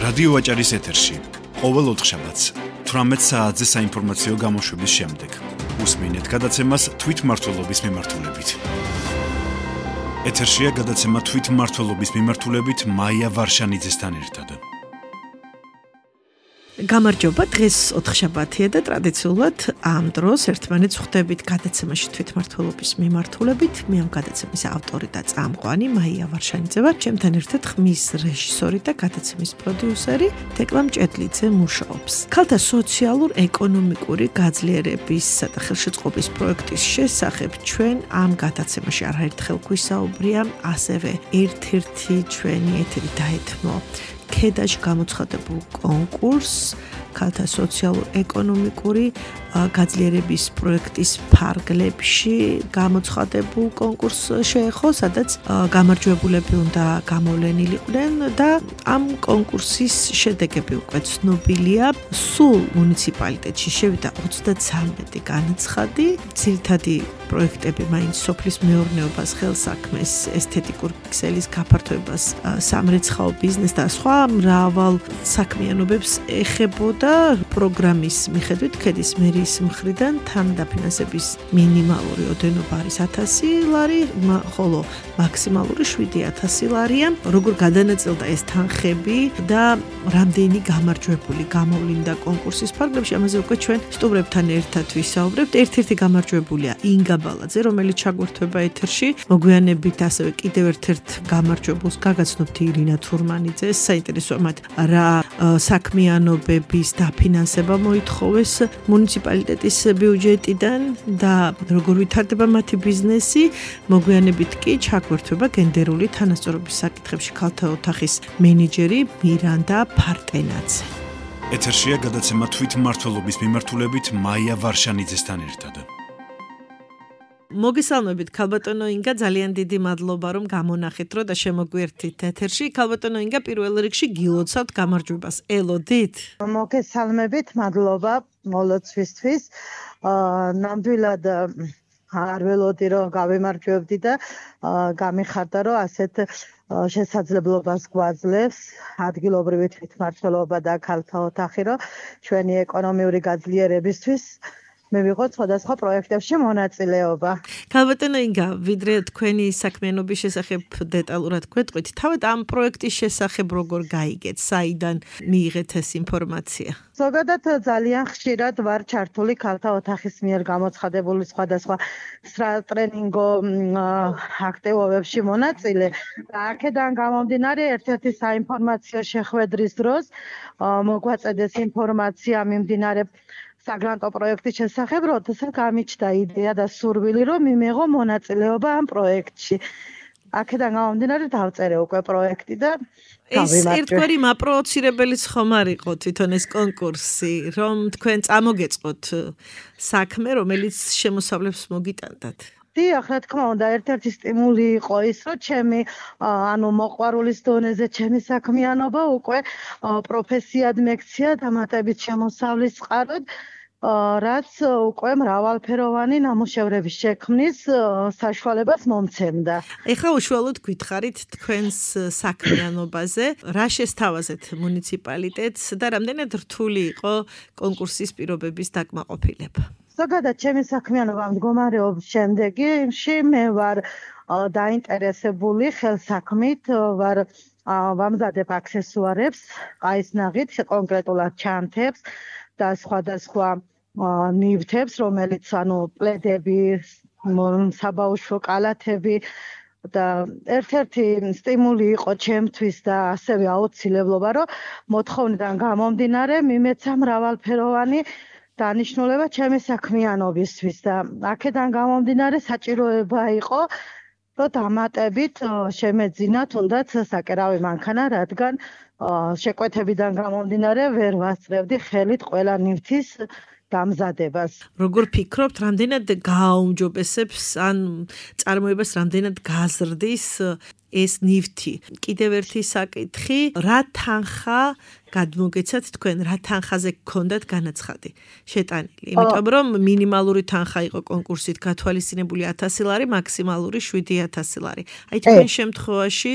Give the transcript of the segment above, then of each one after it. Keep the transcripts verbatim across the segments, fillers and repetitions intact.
რადიო ვაჭარის ეთერში ყოველ ოთხშაბათს თვრამეტ საათზე საინფორმაციო გამოშვების შემდეგ უსმინეთ გადაცემას თვითმმართველობის მიმართულებით. ეთერშია გადაცემა თვითმმართველობის მიმართულებით მაია ვარშანიძესთან ერთად. გამარჯობა, დღეს ოთხშაბათია და ტრადიციულად ამ დროს ერთმანეთს ხვდებით გადაცემაში თვითმმართველობის მიმართულებით. მე ამ გადაცემის ავტორი და წამყვანი მაია ვარშანიძე ვარ. ჩემთან ერთად ხმის რეჟისორი და გადაცემის პროდიუსერი თეკლა მჭედლიძე მუშაობს. ქალთა სოციალურ-ეკონომიკური გაძლიერებისა და ხელშეწყობის პროექტის შესახებ ჩვენ ამ გადაცემაში არაერთხელ გვისაუბრია, ასევე ერთ-ერთი ჩვენი ეთერი დაეთმო ქედაში გამოცხადებულ კონკურსს ქალთა სოციალურ-ეკონომიკური გაძლიერების პროექტის ფარგლებში გამოცხადებულ კონკურსს შეეხო, სადაც გამარჯვებულები უნდა გამოვლენილიყვნენ და ამ კონკურსის შედეგები უკვე ცნობილია. სულ მუნიციპალიტეტში შევიდა ოცდათვრამეტი განაცხადი, ძირითადი პროექტები მაინც სოფლის მეურნეობას, ხელსაქმეს, ესთეტიკურ ქსელის გაფართოებას, სამრეცხაო ბიზნესს და სხვა მრავალ საქმიანობებს ეხებოდა. პროგრამის მიხედვით ქედის მერიის მხრიდან თან დაფინანსების მინიმალური ოდენობა არის ათასი ლარი, ხოლო მაქსიმალური შვიდი ათასი ლარია. როგორ გადანაწილდა ეს თანხები და რამდენი გამარჯვებული გამოვლინდა კონკურსის ფარგლებში, ამაზე უკვე ჩვენ სტუმრებთან ერთად ვისაუბრებთ. ერთ-ერთი გამარჯვებულია ინგა ბალაძე, რომელიც ჩაგვერთვება ეთერში. მოგვიანებით ასევე კიდევ ერთ-ერთ გამარჯვებულს გაგაცნობთ ირინა თურმანიძეს. საინტერესოა მათ რა საქმიანობების დაფინანსება მოითხოვეს მუნიციპალიტეტის ბიუჯეტიდან და როგორ ვითარდება მათი ბიზნესი. მოგვიანებით კი ჩაგვერთვება გენდერული თანასწორობის საკითხებში ქალთა ოთახის მენეჯერი მირანდა ფარტენაძე. ეთერშია გადაცემა თვითმმართველობის მიმართულებით მაია ვარშანიძესთან ერთად. მოგესალმებით ქალბატონო ინგა, ძალიან დიდი მადლობა რომ გამონახეთ რო და შემოგვერთით ეთერში. ქალბატონო ინგა, პირველ რიგში გილოცავთ გამარჯვებას. ელოდით? მოგესალმებით, მადლობა მოლოცვისთვის. ნამდვილად არ ველოდი რომ გავემარჯვებდი და გამიხარდა რომ ასეთ შესაძლებლობას გვაძლევს ადგილობრივი თვითმმართველობა და ქალთა ოთახი, რომ ჩვენი ეკონომიური გაძლიერებისთვის მე ვიღოთ სხვადასხვა პროექტებში მონაწილეობა. ქალბატონო ინგა, ვიდრე თქვენი საქმიანობის შესახებ დეტალურად გვეტყვით, თავად ამ პროექტის შესახებ როგორ გაიგეთ, საიდან მიიღეთ ეს ინფორმაცია? ზოგადად ძალიან ხშირად ვარ ჩართული ქალთა ოთახის მიერ გამოცხადებული სხვადასხვა ტრენინგო აქტივობებში მონაწილე. აქედან გამომდინარე, ერთ-ერთი საინფორმაციო შეხვედრის დროს მოგვაწედეს ინფორმაცია მიმდინარე საგრანტო პროექტის შესახებ, როდესაც გამიჩნდა იდეა და სურვილი, რომ მიმეღო μονაწილეობა ამ პროექტში. აქედან გამომდინარე დავწერე უკვე პროექტი და ეს ერთგვარი მაპროვოცირებელიც ხომ არ იყო თვითონ ეს კონკურსი, რომ თქვენ წამოგეწყოთ საქმე, რომელიც შემოსავლებს მოგიტანდათ? დიახ, რა თქმა უნდა, ერთ-ერთი სტიმული იყო ის, რომ ჩემი ანუ მოყვარულის დონეზე ჩემი საქმიანობა უკვე პროფესიად მექცია დამატებით შემოსავლის წყაროდ, რაც უკვე მრავალფეროვანი ნამუშევრების შექმნის საშუალებას მომცემდა. ეხლა უშუალოდ გითხარით თქვენს საქმიანობაზე, რა შესთავაზეთ მუნიციპალიტეტს და რამდენად რთული იყო კონკურსის პირობების დაკმაყოფილება? ზოგადად ჩემი საქმიანობა მდგომარეობს შემდეგში, მე ვარ დაინტერესებული ხელსაქმით, ვარ ვამზადებ აქსესუარებს, ყაისნაღით, კონკრეტულად ჩანთებს და სხვადასხვა ნივთებს, რომელიც ანუ პლედები, საბაუშო კალათები და ერთ-ერთი სტიმული იყო ჩემთვის და ასევე აუცილებლობა, რომ მოთხოვნიდან გამომდინარე მიმეცა მრავალფეროვანი დანიშნულება ჩემი საქმიანობისთვის და აქედან გამომდინარე საჭიროება იყო, რომ დამატებით შემეძინა თუნდაც საკერავი მანქანა, რადგან შეკვეთებიდან გამომდინარე ვერ ვასწრებდი ხელით ყველა ნივთის დამზადებას. როგორ ფიქრობთ, რამდენად გააუმჯობესებს ან წარმოებას რამდენად გაზრდის ეს ნივთი. კიდევ ერთი საკითხი, რა თანხა გადმოგეცათ თქვენ, რა თანხაზე გქონდათ განაცხადი შეტანილი? იმიტომ რომ მინიმალური თანხა იყო კონკურსით გათვალისწინებული ათასი ლარი, მაქსიმალური შვიდი ათასი ლარი. აი თქვენ შემთხვევაში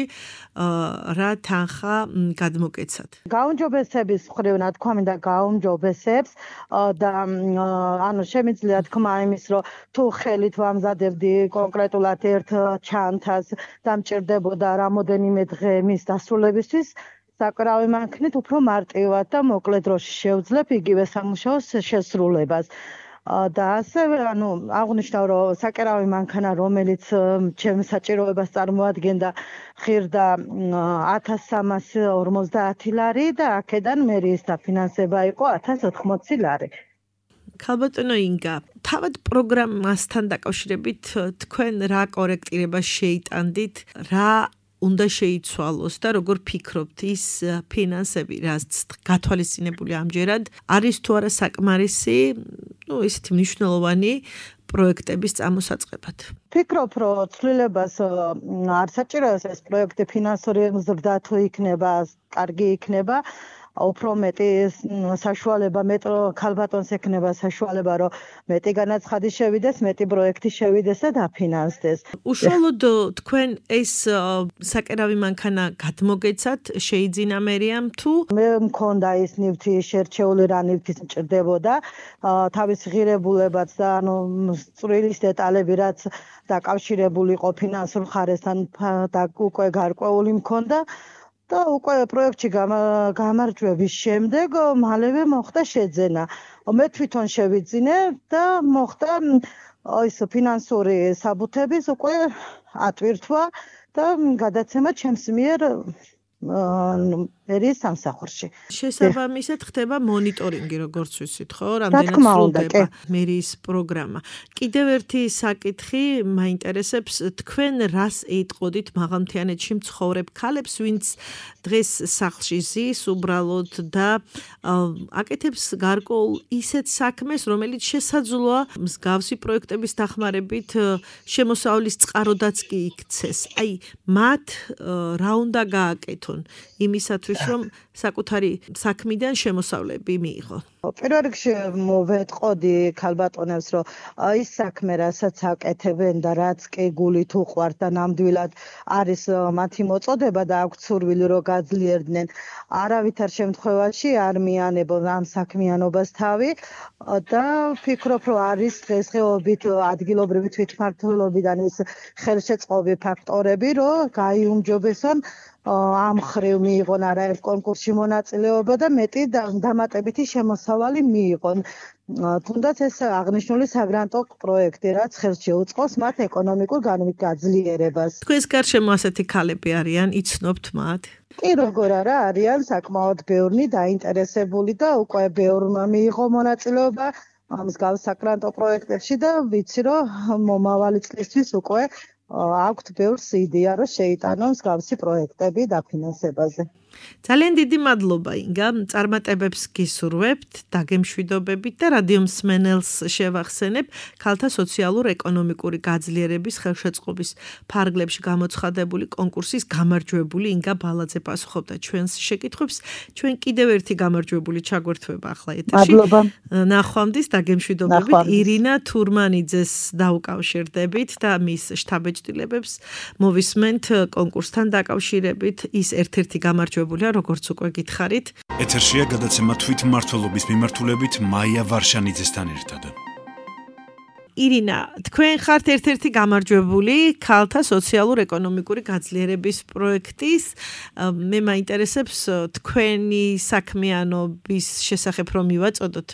რა თანხა გადმოგეცათ? გაუმჯობესების მხრივ თქვა მინდა გაუმჯობესებს და ანუ შემიძლია თქვა იმის რომ თუ ხელით ვამზადებდი კონკრეტულად ერთ ჩანთას და მჭირდებოდა რამოდენიმე დღე მის დასრულებისთვის საკრავი მანქნით უფრო მარტივად და მოკლე დროში შევძლებ იგივე სამუშაოს შესრულებას. და ასევე ანუ აღნიშნავ რომ საკრავი მანქანა რომელიც ჩემს საჭიროებას წარმოადგენდა ღირდა ათას სამას ორმოცდაათი ლარი და აქედან მერიის დაფინანსება იყო ათას ოთხმოცი ლარი. ქალბატონო ინგა, თავად პროგრამასთან დაკავშირებით თქვენ რა კორექტირებას შეიტანდით, რა უნდა შეიცვალოს და როგორ ფიქრობთ ის ფინანსები, რაც გათვალისწინებული ამჯერად არის თუ არა საკმარისი, ну, ისეთი მნიშვნელოვანი პროექტების წამოსაწყებად. ფიქრობ, რომ ცვლილებას არ საჭიროა ეს პროექტი ფინანსური მზრდა თუ იქნება, კარგი იქნება. უფრო მეტი საშუალება მეტრო ქალბატონს ექნება საშუალება რომ მეტი განაცხადი შევიდეს, მეტი პროექტი შევიდეს და დაფინანსდეს. უშუალოდ თქვენ ეს საკერავი მანქანა გადმოგეცათ შეიძინა მერიამ თუ მე მქონდა ის ნივთი შერჩეული რა ნივთის მჭირდებოდა, თავის ღირებულებაც და ანუ წვრილის დეტალები რაც დაკავშირებული იყო ფინანსურ ხარესთან და უკვე გარკვეული მქონდა. და უკვე პროექტში გამარჯვების შემდეგ მალევე მოხდა შეძენა. მე თვითონ შევიძინე და მოხდა ის ფინანსური საბუთების უკვე ატვირთვა და გადაცემა ჩემს მიერ მერიის სამსახურში. შესაბამისად ხდება მონიტორინგი, როგორც ვიცით, ხო? რამდენად სრულდება მერიის პროგრამა. კიდევ ერთი საკითხი მაინტერესებს, თქვენ რას ეტყოდით მაღალმთიანეთში მცხოვრებ ქალებს, ვინც დღეს სახლში ზის უბრალოდ და აკეთებს გარკვეულ ისეთ საქმეს, რომელიც შესაძლოა მსგავსი პროექტების დახმარებით შემოსავლის წყაროდაც კი იქცეს. აი, მათ რა უნდა გააკეთონ იმისათვის რომ საკუთარი საქმიდან შემოსავლები მიიღო. პირველ რიგში მოვეტყოდი ქალბატონებს, რომ ის საქმე, რასაც აკეთებენ და რაც კი გულით უყვართ და ნამდვილად არის მათი მოწოდება და აქვთ სურვილი რომ გაძლიერდნენ, არავითარ შემთხვევაში არ მიანებონ ამ საქმიანობას თავი და ფიქრობ, რომ არის დღესდღეობით ადგილობრივი თვითმმართველობიდან ის ხელშეწყობი ფაქტორები, რომ გაიუმჯობესონ ამ ხრივ მიიღონ არაერთ კონკურსში მონაწილეობა და მეტი დამატებითი შემოსავალი მიიღონ. თუნდაც ეს აღნიშნული საგრანტო პროექტი, რაც ხელს შეუწყობს მათ ეკონომიკურ განვითარებას. თქვენს გარშემო ასეთი ქალები არიან, იცნობთ მათ? კი, როგორ არა, არიან საკმაოდ ბევრი დაინტერესებული და უკვე ბევრმა მიიღო მონაწილეობა მსგავს საგრანტო პროექტებში და ვიცი, რომ მომავალი წლისთვის უკვე აქვთ ბევრს იდეა, რომ შეიტანონ მსგავსი პროექტები დაფინანსებაზე. ძალიან დიდი მადლობა ინგა, წარმატებებს გისურვებთ, დაგემშვიდობებით და რადიო მსმენელს შევახსენებ, ქალთა სოციალურ-ეკონომიკური გაძლიერების ხელშეწყობის ფარგლებში გამოცხადებული კონკურსის გამარჯვებული ინგა ბალაძე პასუხობდა ჩვენს შეკითხვებს. ჩვენ კიდევ ერთი გამარჯვებული ჩაგვერთვება ახლა ეთერში. მადლობა. ნახვამდის, დაგემშვიდობებით. ირინა თურმანიძეს დაუკავშირდებით და მის შტაბ-ეჭდილებებს მოვისმენთ კონკურსთან დაკავშირებით. ის ერთ-ერთი გამარჯვებული როგორც უკვე გითხარით. ეთერშია გადაცემა თვითმმართველობის მიმართულებით მაია ვარშანიძესთან ერთად. ირინა, თქვენ ხართ ერთ-ერთი გამარჯვებული ქალთა სოციალურ-ეკონომიკური გაძლიერების პროექტის. მე მაინტერესებს თქვენი საქმიანობის შესახებ რომ მივაწოდოთ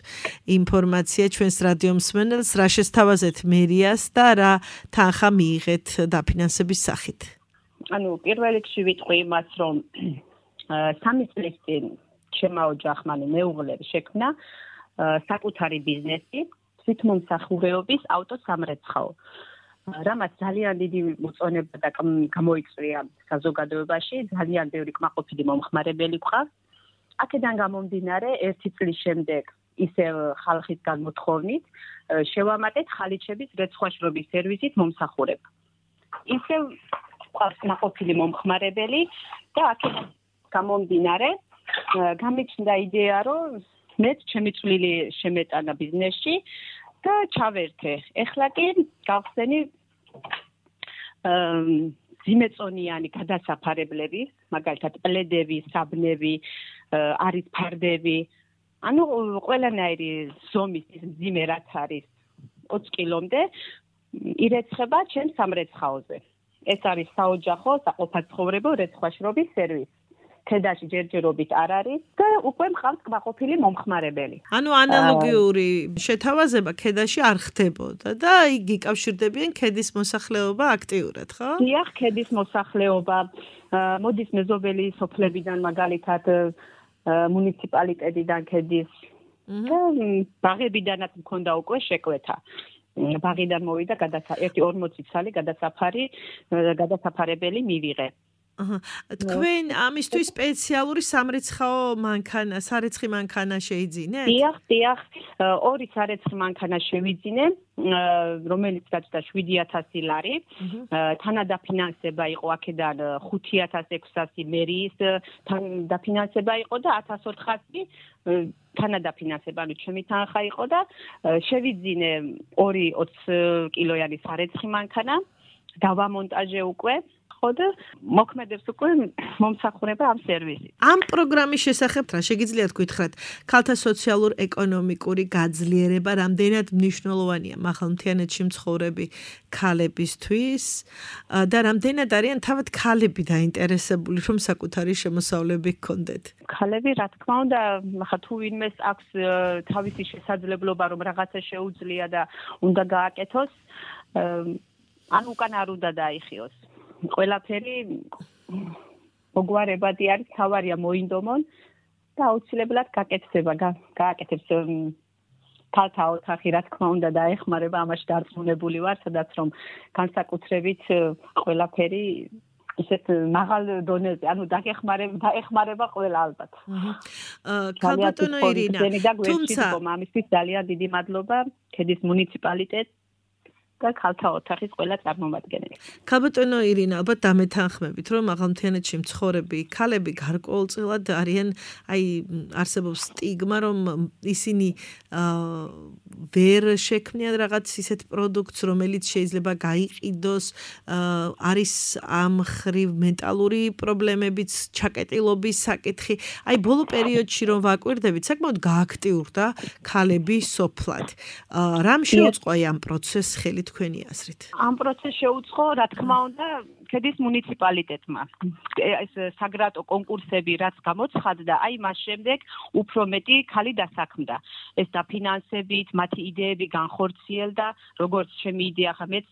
ინფორმაცია ჩვენს რადიო მსმენელს, რა შესთავაზეთ მერიას და რა თანხა მიიღეთ დაფინანსების სახით. ანუ პირველ რიგში ვიტყვი იმას, რომ სამი წლის წინ ჩემო ოჯახმა მეუღლემ შექმნა საკუთარი ბიზნესი თვითმომსახურეობის ავტოსამრეცხაო. რამაც ძალიან დიდი მოწონება და გამოიწვია საზოგადოებაში, ძალიან ბევრი კმაყოფილი მომხმარებელი გვყავს. აქედან გამომდინარე, ერთი წლის შემდეგ ისევ ხალხისგან მოთხოვნით შევამატეთ ხალიჩების რეცხვაშრობის სერვისით მომსახურება. ისევ ყავს კმაყოფილი მომხმარებელი და აქედან გამომდინარე გამიჩნდა იდეა, რომ მეც ჩემი წვლილი შემეტანა ბიზნესში და ჩავერთე. ეხლა კი გავხსენი ზიმეწონიანი გადასაფარებლები, მაგალითად პლედები, საბნები, არის ფარდები, ანუ ყველანაირი ზომის მძიმე რაც არის ოც კილომდე ირეცხება ჩემ სამრეცხაოზე. ეს არის საოჯახო, საყოფაცხოვრებო რეცხვაშრობის სერვისი. ქედაში ჯერჯერობით არ არის და უკვე მყავს კმაყოფილი მომხმარებელი. ანუ ანალოგიური შეთავაზება ქედაში არ ხდებოდა და იგი იკავშირდებიან ქედის მოსახლეობა აქტიურად, ხო? დიახ, ქედის მოსახლეობა მოდის მეზობელი სოფლებიდან მაგალითად მუნიციპალიტეტიდან ქედის და ბაღებიდანაც მქონდა უკვე შეკვეთა. ბაღიდან მოვიდა ერთი ორმოცი ცალი გადასაფარი გადასაფარებელი მივიღე. თქვენ ამისთვის სპეციალური სამრეცხაო მანქანა, სარეცხი მანქანა შეიძინეთ? დიახ, დიახ, ორი სარეცხი მანქანა შევიძინე, რომელიც გაჩნდა შვიდი ათასი ლარი. თანადაფინანსება იყო აქედან ხუთი ათას ექვსასი მერიის დაფინანსება იყო და ათას ოთხასი თანადაფინანსება, ანუ ჩემი თანხა იყო და შევიძინე ორი ოც კილოიანი სარეცხი მანქანა, დავამონტაჟე უკვე. და მოქმედებს უკვე მომსახურება ამ სერვისით. ამ პროგრამის შესახებ რა შეგიძლიათ გითხრათ? ქალთა სოციალურ-ეკონომიკური გაძლიერება რამდენად მნიშვნელოვანია მაღალმთიანეთში მცხოვრები ქალებისთვის და რამდენად არიან თავად ქალები დაინტერესებული, რომ საკუთარი შემოსავლები ჰქონდეთ? ქალები, რა თქმა უნდა, ახლა თუ ვინმეს აქვს თავისი შესაძლებლობა, რომ რაღაცა შეუძლია და უნდა გააკეთოს, ან უკან არ უნდა დაიხიოს. ყველაფერი მოგვარებადი არის, თავარია მოინდომონ და აუცილებლად გაკეთდება, გააკეთებს ქალთა ოთახი, რა თქმა უნდა დაეხმარება, ამაში დარწმუნებული ვარ, სადაც რომ განსაკუთრებით ყველაფერი ისეთ მაღალ დონეზე, ანუ დაეხმარება, დაეხმარება ყველა ალბათ. ქალბატონო ირინა, თუმცა ამისთვის ძალიან დიდი მადლობა ქედის მუნიციპალიტეტს და ქალთა ოთახის ყველა წარმომადგენელი. ქალბატონო ირინა, ალბათ დამეთანხმებით, რომ მაღალმთიანეთში მცხოვრები ქალები გარკვეულწილად არიან, აი, არსებობს სტიგმა, რომ ისინი ვერ შექმნიან რაღაც ისეთ პროდუქტს, რომელიც შეიძლება გაიყიდოს, არის ამ ხრივ მენტალური პრობლემებიც, ჩაკეტილობის საკითხი. აი, ბოლო პერიოდში რომ ვაკვირდებით, საკმაოდ გააქტიურდა ქალები სოფლად. რამ შეუწყო ამ პროცესს ხელით თქვენი აზრით? ამ პროცესს შეუწყო, რა თქმა უნდა, ქედის მუნიციპალიტეტმა. ეს საგრატო კონკურსები რაც გამოცხადდა, აი მას შემდეგ უფრო მეტი ქალი დასაქმდა. ეს დაფინანსებით, მათი იდეები განხორციელდა, როგორც ჩემი იდეა, ხა მეც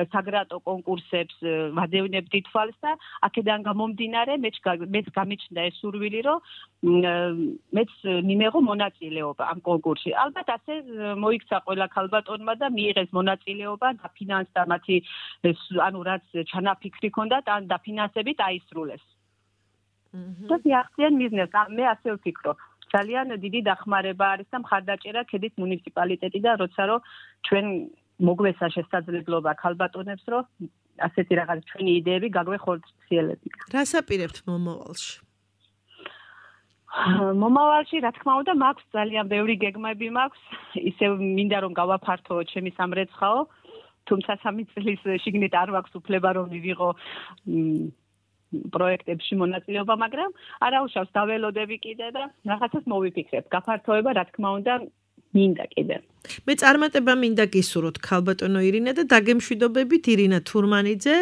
საგრატო კონკურსებს ვადევნებდი თვალს და აქედან გამომდინარე, მეც მეც გამიჩნდა ეს სურვილი, რომ მეც მიმეღო მონაწილეობა ამ კონკურსში. ალბათ ასე მოიქცა ყველა ქალბატონმა და მიიღეს მონაწილეობა, დაფინანსდა მათი ანუ რაც ჩანაფიქრი ჰქონდათ, ან დაფინანსებით აისრულეს. და მიაღწიენ მიზნებს. მე ასე ვფიქრობ. ძალიან დიდი დახმარება არის და მხარდაჭერა ქედის მუნიციპალიტეტიდან, როცა რომ ჩვენ მოგვეცა შესაძლებლობა ქალბატონებს, რომ ასეთი რაღაც ჩვენი იდეები გაგვეხორციელებთ. რას აპირებთ მომავალში? მომავალში, რა თქმა უნდა, მაქვს ძალიან ბევრი გეგმები მაქვს. ისევ მინდა რომ გავაფართო ჩემი სამრეცხაო, თუმცა სამი წლის შიგნით არ მაქვს უფლება რომ მივიღო პროექტებში მონაწილეობა, მაგრამ არა უშავს დაველოდები კიდე და რაღაცას მოვიფიქრებ. გაფართოება, რა თქმა უნდა, მინდა კიდე. მე წარმატება მინდა გისურვოთ ქალბატონო ირინა და დაგემშვიდობებით ირინა თურმანიძე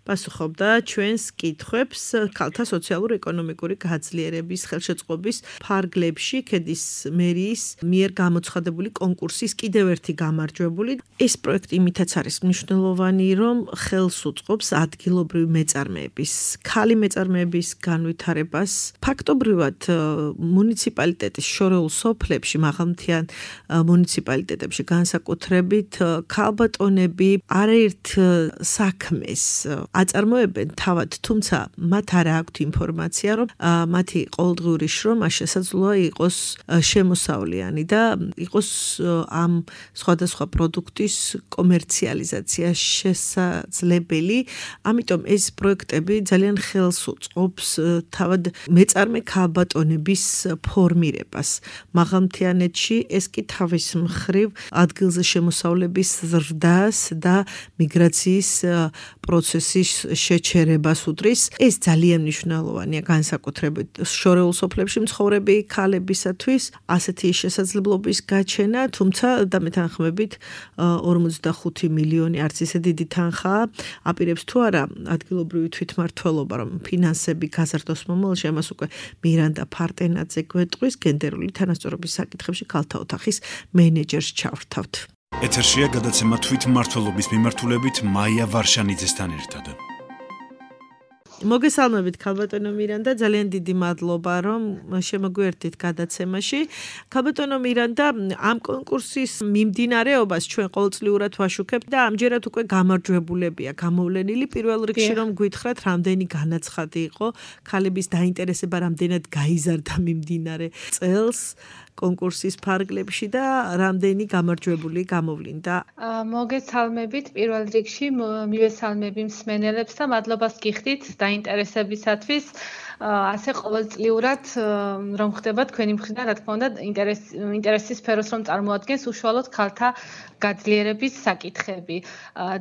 პასუხობდა ჩვენს კითხვებს ქალთა სოციალურ-ეკონომიკური გაძლიერების ხელშეწყობის ფარგლებში ქედის მერიის მიერ გამოცხადებული კონკურსის კიდევ ერთი გამარჯვებული. ეს პროექტი იმითაც არის მნიშვნელოვანი, რომ ხელს უწყობს ადგილობრივი მეწარმეების, ქალი მეწარმეების განვითარებას. ფაქტობრივად მუნიციპალიტეტის შორეულ სოფლებში მაღალმთიან მუნიციპალიტეტებში განსაკუთრებით ქალბატონები არაერთ საქმეს აწარმოებენ თავად, თუმცა მათ არ აქვთ ინფორმაცია, რომ მათი ყოველდღიური შრომა შესაძლოა იყოს შემოსავლიანი და იყოს ამ სხვადასხვა პროდუქტის კომერციალიზაცია შესაძლებელი. ამიტომ ეს პროექტები ძალიან ხელს უწყობს თავად მეწარმე ქალბატონების ფორმირებას. მაღალმთიანეთში ეს კი თავის მხრივ ადგილზე შემოსავლების ზრდას და მიგრაციის პროცესის შეჩერებას უდრის. ეს ძალიან მნიშვნელოვანია განსაკუთრებით შორეულ სოფლებში მცხოვრები ქალებისათვის ასეთი შესაძლებლობის გაჩენა, თუმცა დამეთანხმებით ორმოცდახუთი მილიონი არც ისე დიდი თანხაა, აპირებს თუ არა ადგილობრივი თვითმმართველობა, რომ ფინანსები გაზარდოს მომავალში, ამას უკვე მირანდა ფარტენაძე გვეტყვის, გენდერული თანასწორობის საკითხებში ქალთა ოთახის მენეჯერს ჩავრთავთ. ეთერშია გადაცემა თვითმმართველობის მიმართულებით მაია ვარშანიძესთან ერთად. მოგესალმებით ქალბატონო მირანდა, ძალიან დიდი მადლობა რომ შემოგვიერთდით გადაცემაში. ქალბატონო მირანდა, ამ კონკურსის მიმდინარეობას ჩვენ ყოველწლიურად ვაშუქებთ და ამჯერად უკვე გამარჯვებულებია გამოვლენილი. პირველ რიგში რომ გითხრათ, რამდენი განაცხადი იყო ქალების დაინტერესება, რამდენად გაიზარდა მიმდინარე წელს კონკურსის ფარგლებში და რამდენი გამარჯვებული გამოვლინდა. მოგესალმებით პირველ რიგში, მივესალმები მსმენელებს და მადლობას გიხდით დაინტერესებისათვის. ასე ყოველწლიურად რომ ხდება თქვენი მხრიდან, რა თქმა უნდა, ინტერესის სფეროს რომ წარმოადგენს უშუალოდ ქალთა გაძლიერების საკითხები.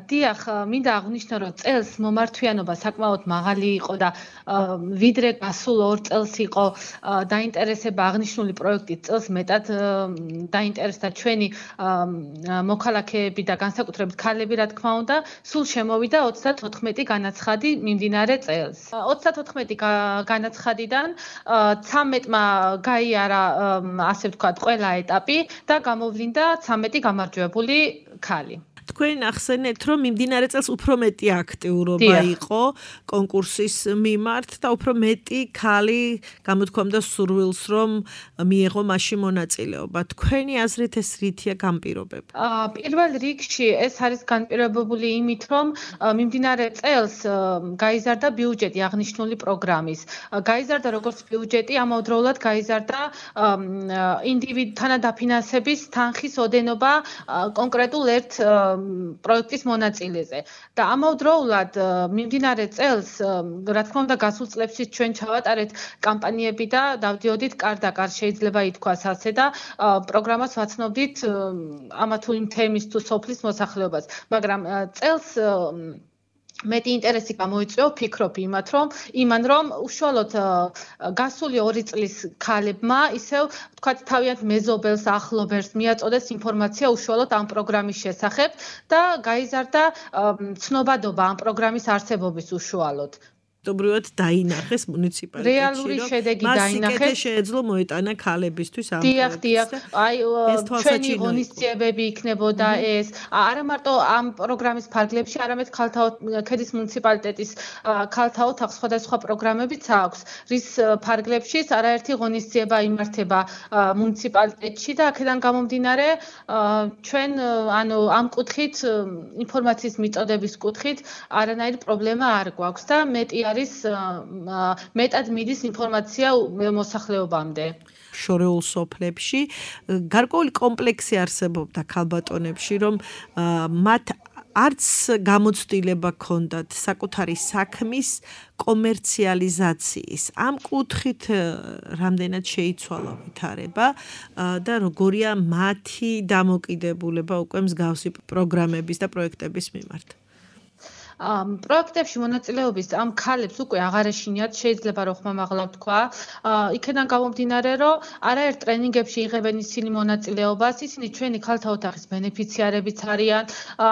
დიახ, მინდა აღვნიშნო, რომ წელს მომართვიანობა საკმაოდ მაღალი იყო და ვიდრე გასულ ორ წელს იყო დაინტერესება აღნიშნული პროექტით, წელს მეტად დაინტერესდა ჩვენი მოქალაქეები და განსაკუთრებით ქალები, რა თქმა უნდა, სულ შემოვიდა ოცდათოთხმეტი განაცხადი მიმდინარე წელს. ოცდათოთხმეტი განაცხადიდან ცამეტმა გაიარა, ასე ვთქვათ, ყველა ეტაპი და გამოვლინდა ცამეტი გამარჯვებული ქალი. თქვენ ახსენეთ, რომ მიმდინარე წელს უფრო მეტი აქტიურობა იყო კონკურსის მიმართ და უფრო მეტი ქალი გამოთქვამდა სურვილს, რომ მიეღო მასში მონაწილეობა. თქვენი აზრით ეს რითია განპირობება? პირველ რიგში ეს არის განპირობებული იმით, რომ მიმდინარე წელს გაიზარდა ბიუჯეტი აღნიშნული პროგრამის. გაიზარდა როგორც ბიუჯეტი, ამავდროულად გაიზარდა ინდივიდთან დაფინანსების თანხის ოდენობა კონკრეტულ ერთ პროექტის მონაწილეზე და ამავდროულად მიმდინარე წელს, რა თქმა უნდა, გასულ წლებშიც ჩვენ ჩავატარეთ კამპანიები და დავდიოდით კარ-და-კარ, შეიძლება ითქვას ასე და პროგრამას ვაცნობდით ამა თუ იმ თემის თუ სოფლის მოსახლეობას, მაგრამ წელს მეტი ინტერესი გამოიწვია, ვფიქრობ იმათ, რომ იმან რომ უშუალოდ გასული ორი წლის ქალებმა ისევ ვთქვათ თავიანთ მეზობელს, ახლობელს მიაწოდეს ინფორმაცია უშუალოდ ამ პროგრამის შესახებ და გაიზარდა ცნობადობა ამ პროგრამის არსებობის უშუალოდ. Добрывად დაინახეს მუნიციპალიტეტში. რეალური შედეგი დაინახეს. მას შეეძლო მოეტანა ქალებისთვის ამ პროექტს. დიახ, დიახ. აი ჩვენი ღონისძიებები იქნებოდა ეს. არა მარტო ამ პროგრამის ფარგლებში, არამედ ქალთა ქედის მუნიციპალიტეტის ქალთა ოთახს სხვადასხვა პროგრამებიც აქვს, რის ფარგლებშიც არაერთი ღონისძიება იმართება მუნიციპალიტეტში და აქედან გამომდინარე ჩვენ ანუ ამ კუთხით ინფორმაციის მიწოდების კუთხით არანაირი პრობლემა არ გვაქვს და მეტი არის მეტად მიდის ინფორმაცია მოსახლეობამდე. შორეულ სოფლებში გარკვეული კომპლექსი არსებობდა ქალბატონებში, რომ მათ არც გამოცდილება ჰქონდათ საკუთარი საქმის კომერციალიზაციის. ამ კუთხით რამდენად შეიცვალა ვითარება და როგორია მათი დამოკიდებულება უკვე მსგავსი პროგრამების და პროექტების მიმართ. პროექტებში მონაწილეობის ამ ქალებს უკვე აღარ ეშინიათ, შეიძლება რომ ხმამაღლა ვთქვა. იქედან გამომდინარე, რომ არაერთ ტრენინგებში იღებენ ისინი მონაწილეობას, ისინი ჩვენი ქალთა ოთახის ბენეფიციარებიც არიან,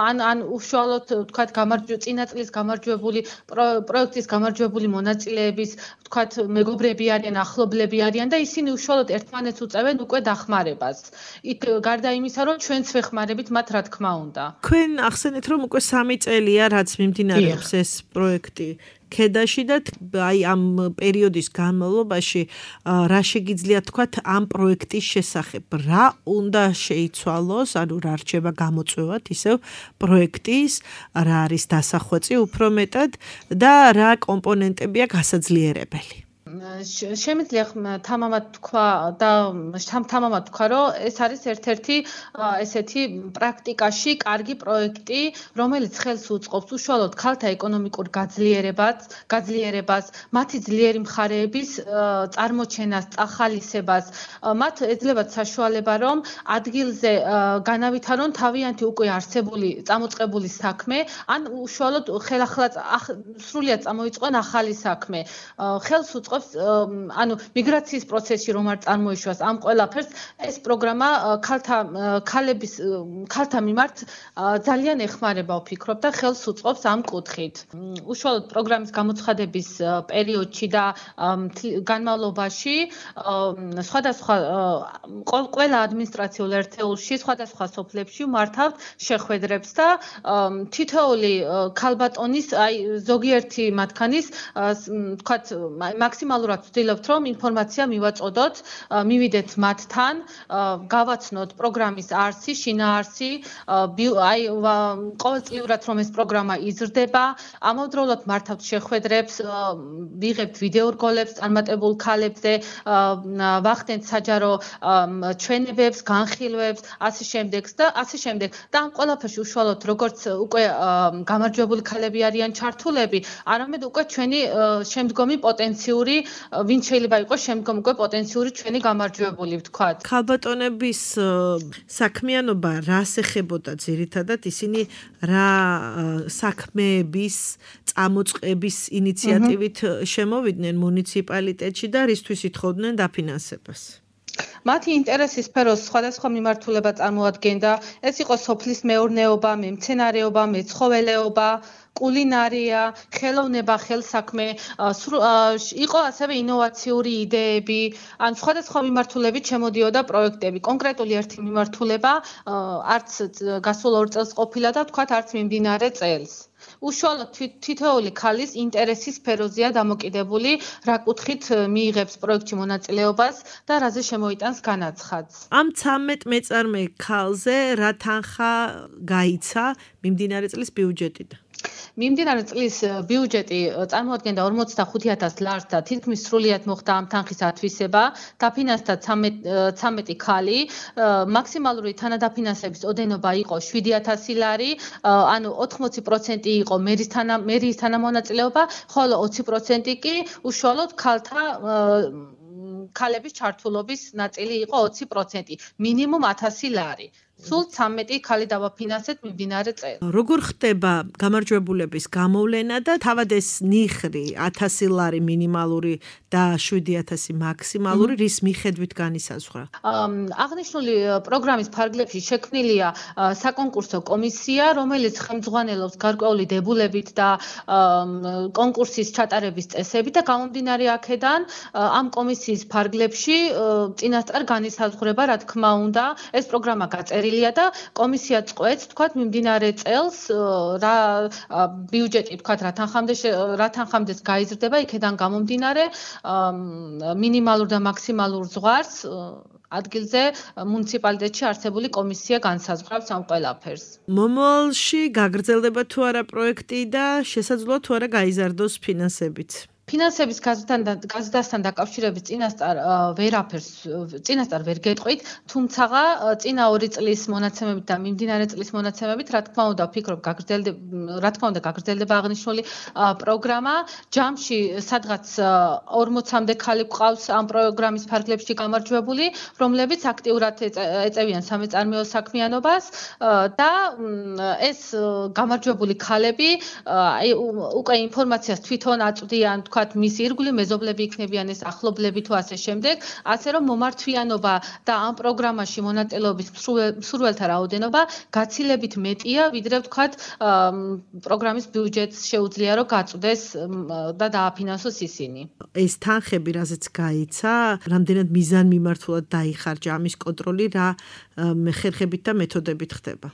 ან ან უშუალოდ ვთქვათ გამარჯვებული წინა წლის გამარჯვებული პროექტის გამარჯვებული მონაწილეების ვთქვათ მეგობრები არიან, ახლობლები არიან და ისინი უშუალოდ ერთმანეთს უწევენ უკვე დახმარებას. იქ გარდა იმისა, რომ ჩვენც ვეხმარებით მათ, რა თქმა უნდა. თქვენ ახსენეთ, რომ უკვე სამი წელია, რაც მიმდინარეობს ეს პროექტი ქედაში და აი ამ პერიოდის განმავლობაში რა შეგიძლიათ თქვათ ამ პროექტის შესახებ რა უნდა შეიცვალოს ანუ რა რჩება გამოწვევად ისევ პროექტის რა არის დასახვეწი უფრო მეტად და რა კომპონენტებია გასაძლიერებელი შემიძლია თამამად თქვა და თამამად თქვა რომ ეს არის ერთ-ერთი ესეთი პრაქტიკაში კარგი პროექტი რომელიც ხელს უწყობს უშუალოდ ქალთა ეკონომიკურ გაძლიერებას გაძლიერებას მათი ძლიერი მხარეების წარმოჩენას წახალისებას მათ ეძლებათ საშუალება რომ ადგილზე განავითარონ თავიანთი უკვე არსებული წამოწყებული საქმე ან უშუალოდ ხელახლა სრულიად წამოიწყონ ახალი საქმე ხელს უწყობს ანუ მიგრაციის პროცესში რომ არ წარმოიშვას ამ ყველაფერს ეს პროგრამა ქალთა ქალების ქალთა მიმართ ძალიან ეხმარება ვფიქრობ და ხელს უწყობს ამ კუთხით. უშუალოდ პროგრამის გამოცხადების პერიოდში და განმავლობაში სხვადასხვა ყველა ადმინისტრაციულ ერთეულში სხვადასხვა სოფლებში მართავთ შეხვედრებს და თითოეული ქალბატონის აი ზოგიერთი მათგანის თქვათ მაქსიმალურად ვცდილობთ რომ ინფორმაცია მივაწოდოთ, მივიდეთ მათთან, გავაცნოთ პროგრამის არსი, შინაარსი, აი ყოველწლიურად რომ ეს პროგრამა იზრდება, ამავდროულად მართავთ შეხვედრებს, ვიღებთ ვიდეო რგოლებს წარმატებულ ქალებზე, ვახდენთ საჯარო ჩვენებებს, განხილვებს, ასე შემდეგ და ასე შემდეგ. და ამ ყველაფერში უშუალოდ როგორც უკვე გამარჯვებული ქალები არიან ჩართულები, არამედ უკვე ჩვენი შემდგომი პოტენციური ვინ შეიძლება იყოს შემდგომ უკვე პოტენციური ჩვენი გამარჯვებული ვთქვათ. ქალბატონების საქმიანობა რას ეხებოდა ძირითადად ისინი რა საქმეების წამოწყების ინიციატივით შემოვიდნენ მუნიციპალიტეტში და რისთვის ითხოვდნენ დაფინანსებას? მათი ინტერესის სფეროს სხვადასხვა მიმართულება წარმოადგენდა. ეს იყო სოფლის მეურნეობა, მემცენარეობა, მეცხოველეობა, კულინარია, ხელოვნება, ხელსაქმე, იყო ასევე ინოვაციური იდეები, ან სხვადასხვა მიმართულებით შემოდიოდა პროექტები. კონკრეტული ერთი მიმართულება არც გასულ ორ წელს ყოფილა და თქვათ არც მიმდინარე წელს. უშუალოდ თითოეული ქალის ინტერესის სფეროზეა დამოკიდებული, რა კუთხით მიიღებს პროექტში მონაწილეობას და რაზე შემოიტანს განაცხადს. ამ ცამეტ მეწარმე ქალზე რა თანხა გაიცა მიმდინარე წლის ბიუჯეტიდან? მიმდინარე წლის ბიუჯეტი წარმოადგენდა ორმოცდახუთი ათას ლარს და თითქმის სრულიად მოხდა ამ თანხის ათვისება, დაფინანსდა ცამეტი ქალი, მაქსიმალური თანადაფინანსების ოდენობა იყო შვიდი ათასი ლარი, ანუ ოთხმოცი პროცენტი იყო მერის მერიის თანამონაწილეობა, ხოლო ოცი პროცენტი კი უშუალოდ ქალთა ქალების ჩართულობის ნაწილი იყო ოცი პროცენტი, მინიმუმ ათასი ლარი. სულ ცამეტი ქალი დავაფინანსეთ მიმდინარე წელს. როგორ ხდება გამარჯვებულების გამოვლენა და თავად ეს ნიხრი ათასი ლარი მინიმალური და შვიდი ათასი მაქსიმალური რის მიხედვით განისაზღვრა? აღნიშნული პროგრამის ფარგლებში შექმნილია საკონკურსო კომისია, რომელიც ხელმძღვანელობს გარკვეული დებულებით და კონკურსის ჩატარების წესებით და გამომდინარე აქედან ამ კომისიის ფარგლებში წინასწარ განისაზღვრება, რა თქმა უნდა, ეს პროგრამა გაწერილია და კომისია წყვეტს, თქვათ, მიმდინარე წელს რა ბიუჯეტი, თქვათ, რა თანხამდე რა თანხამდეს გაიზრდება, იქედან გამომდინარე მინიმალურ და მაქსიმალურ ზღვარს ადგილზე მუნიციპალიტეტში არსებული კომისია განსაზღვრავს ამ ყველაფერს. მომავალში გაგრძელდება თუ არა პროექტი და შესაძლოა თუ არა გაიზარდოს ფინანსებით? ფინანსების გაზრდასთან დაკავშირებით წინასწარ ვერაფერს წინასწარ ვერ გეტყვით, თუმცა წინა ორი წლის მონაცემებით და მიმდინარე წლის მონაცემებით, რა თქმა უნდა, ვფიქრობ, გაგრძელდება, რა თქმა უნდა, გაგრძელდება აღნიშნული პროგრამა. ჯამში სადღაც ორმოცამდე ქალი გვყავს ამ პროგრამის ფარგლებში გამარჯვებული, რომლებიც აქტიურად ეწევიან სამეწარმეო საქმიანობას და ეს გამარჯვებული ქალები აი უკვე ინფორმაციას თვითონ აწვდიან, თქვათ, მისი ირგვლივ მეზობლები იქნებიან ეს ახლობლები თუ ასე შემდეგ, ასე რომ მომართვიანობა და ამ პროგრამაში მონაწილეობის მსურველთა რაოდენობა გაცილებით მეტია, ვიდრე ვთქვათ, პროგრამის ბიუჯეტს შეუძლია რომ გაწვდეს და დააფინანსოს ისინი. ეს თანხები, რაზეც გაიცა, რამდენად მიზანმიმართულად დაიხარჯა ამის კონტროლი, რა ხერხებით და მეთოდებით ხდება?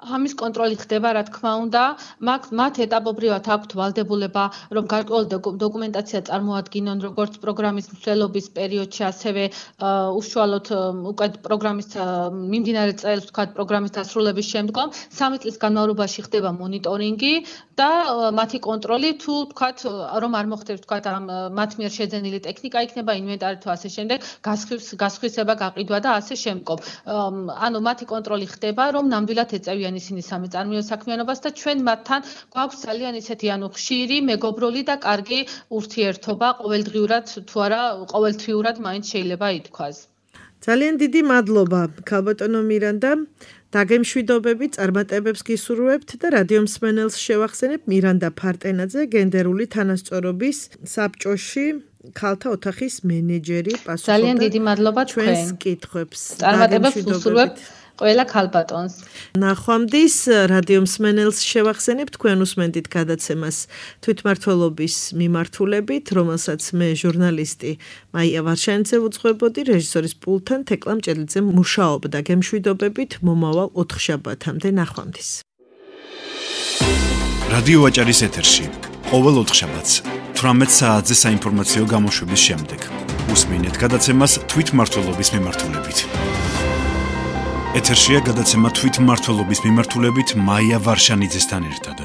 ამის კონტროლი ხდება, რა თქმა უნდა, მათ ეტაპობრივად აქვთ ვალდებულება, რომ გარკვეული დოკუმენტაცია წარმოადგინონ, როგორც პროგრამის მსვლელობის პერიოდში, ასევე უშუალოდ უკვე პროგრამის მიმდინარე წელს, ვთქვათ, პროგრამის დასრულების შემდგომ, სამი წლის განმავლობაში ხდება მონიტორინგი და მათი კონტროლი, თუ ვთქვათ, რომ არ მოხდებს, ვთქვათ, მათ მიერ შეძენილი ტექნიკა იქნება, ინვენტარი თუ ასე შემდეგ, გასხვისება, გაყიდვა და ასე შემდგომ. ანუ მათი კონტროლი ხდება, რომ ნამდვილად ეწევიან ისინი სამეწარმეო საქმიანობას და ჩვენ მათთან გვაქვს ძალიან ისეთი ანუ ხშირი, მეგობრული და კარგი ურთიერთობა, ყოველდღიურად თუ არა ყოველთვიურად მაინც შეიძლება ითქვას. ძალიან დიდი მადლობა, ქალბატონო მირანდა. დაგემშვიდობები, წარმატებებს გისურვებთ და რადიო მსმენელს შევახსენებ მირანდა ფარტენაძე, გენდერული თანასწორობის საბჭოში ქალთა ოთახის მენეჯერი, პასუხობდა. ძალიან დიდი მადლობა თქვენ. ჩვენს კითხვებს. წარმატებებს ვუსურვებთ ყველა ქალბატონს. ნახვამდის რადიო მსმენელს შევახსენებ, თქვენ უსმენთ გადაცემას თვითმმართველობის მიმართულებით, რომელსაც მე ჟურნალისტი მაია ვარშანიძე ვუძღვებოდი, რეჟისორის პულტთან თეკლა მჭედლიძე მუშაობდა. გემშვიდობებით მომავალ ოთხშაბათამდე. ნახვამდის. რადიო ვაჭარის ეთერში ყოველ ოთხშაბათს თვრამეტ საათზე საინფორმაციო გამოშვების შემდეგ უსმენთ გადაცემას თვითმმართველობის მიმართულებით. ეთერშია გადაცემა თვითმმართველობის მიმართულებით მაია ვარშანიძესთან ერთად.